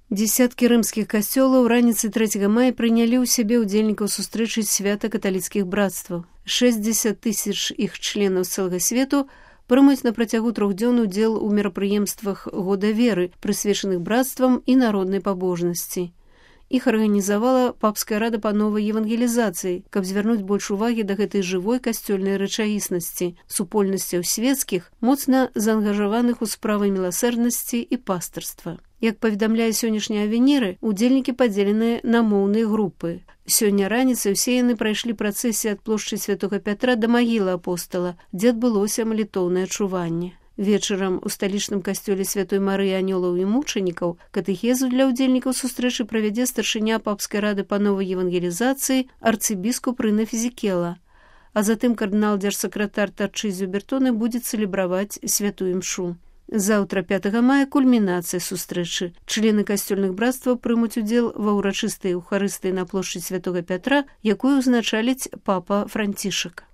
Дзесяткі рымскіх касцёлаў раніцай 3 мая прынялі ў сябе ўдзельнікаў сустрэчы свята каталіцкіх брацтваў. 60 000 іх членаў з цэлага свету прымуць на працягу 3 дзён удзел у мерапрыемствах года веры, прысвечаных брацтвам і народнай пабожнасці. Іх арганізавала папская рада па новай евангелізацыі, каб звярнуць больш увагі да гэтай жывой касцёльнай рэчаіснасці, супольнасцяў свецкіх, моцна заангажаваных у справы міласэрнасці і пастырства. Як паведамляе сённяшняя авеніры, удзельнікі падзеленыя на моўныя групы. Сёння раніцай усе яны прайшлі працэсію ад плошчы Святога Пятра да магілы апостала, дзе адбылося малітоўнае чуванне. Вечарам у сталічным касцёле Святой Марыі Анёлаў і мучанікаў катэхезу для ўдзельнікаў сустрэчы правядзе старшыня папскай рады па новай евангелізацыі арцыбіскуп Рына Фізікела, а затым кардынал-дзяржсакратар Тарчызіо Бертоне будзе цэлебраваць святую імшу. Заўтра 5 мая кульмінацыя сустрэчы. Члены касцёльных брацтваў прымуць удзел ва ўрачыстай эўхарыстыі на плошчы Святога Пятра, якую ўзначаліць папа Францішак.